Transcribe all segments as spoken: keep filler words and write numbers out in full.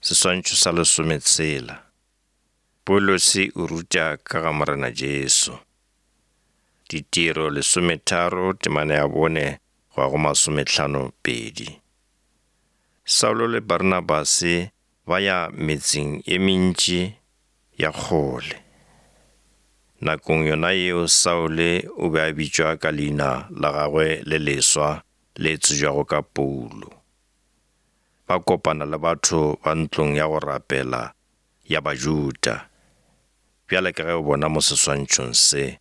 Seswantšho sa lesometshela. Paulose o ruta ka ga Morena Jesu. Ditiro lesometharo temana ya bone go ya go masomehlano pedi. Saulo le Barnabase ba ya metseng e mentši ya kgole. Nakong yona yeo Saule o be a bitšwa ka leina la gagwe le leswa le tsebjago ka Paulo. Ba kopana le batho ba ntlong ya go rapela ya Bajuda, bjale ka ge o bona mo seswantšhong se,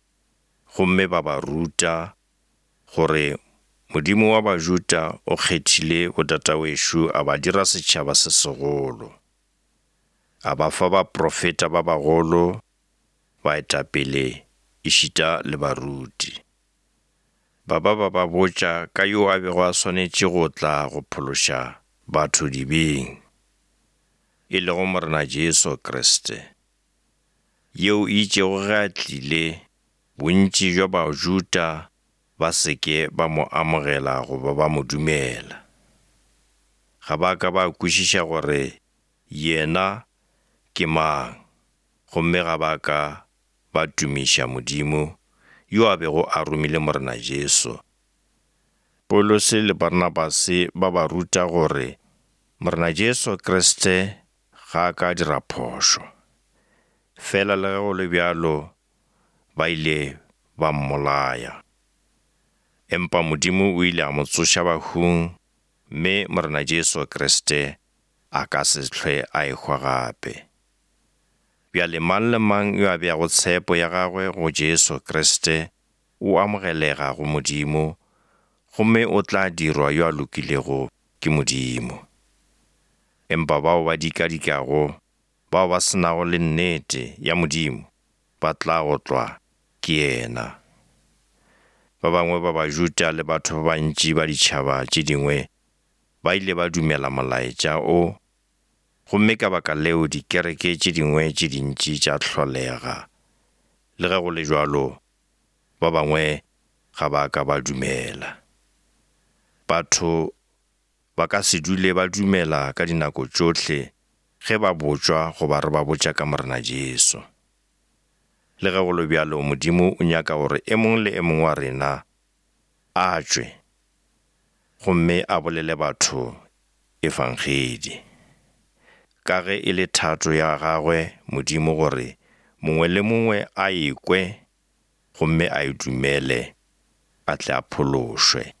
gomme ba ba ruta gore Modimo wa Bajuda o kgethile botatawešo a ba dira setšhaba se segolo, a ba fa baprofeta ba bagolo, baetapele ešita le baruti. Ba ba ba ba botša ka yo a bego a swanetše go tla go phološa batho dibeng, e lego Morena Jesu Kriste, yeo e itšego ge a tlile, bontši bja Bajuda ba se ke ba mo amogela goba ba mo dumela. Ga ba ka ba kwešiša gore yena ke mang, gomme ga ba ka ba tumiša Modimo yo a bego a romile Morena Jesu. Paulose le Barnabase ba ba ruta gore Morena Jesu Kriste ga a ka a dira phošo. Fela le ge go le bjalo ba ile ba mmolaya. Empa Modimo o ile a mo tsoša bahung, mme Morena Jesu Kriste a ka se hlwe a ehwa gape. Bjale mang le mang yo a beago tshepo ya gagwe go Jesu Kriste o amogelega go Modimo, gomme o tla dirwa yo a lokilego ke Modimo. Empa bao ba dikadikago, bao ba se nago le nnete ya Modimo, ba tla otlwa ke yena. Ba bangwe ba Bajuda le batho ba bantši ba ditšhaba tše dingwe ba ile ba dumela molaetša o, gomme ka baka leo dikereke tše dingwe tše dintši tša hlolega. Le ge go le bjalo, ba bangwe ga ba ka ba dumela. Batho ba ka se dule ba dumela ka dinako tšohle ge ba botšwa goba re ba botša ka Morena Jesu. Le ge go le bjalo, Modimo o nyaka gore e mongwe le e mongwe wa rena a tšwe gomme a bolele batho efangedi. Ka ge e le thato ya gagwe Modimo gore mongwe le mongwe a ekwe gomme a e dumele, a tle a phološwe.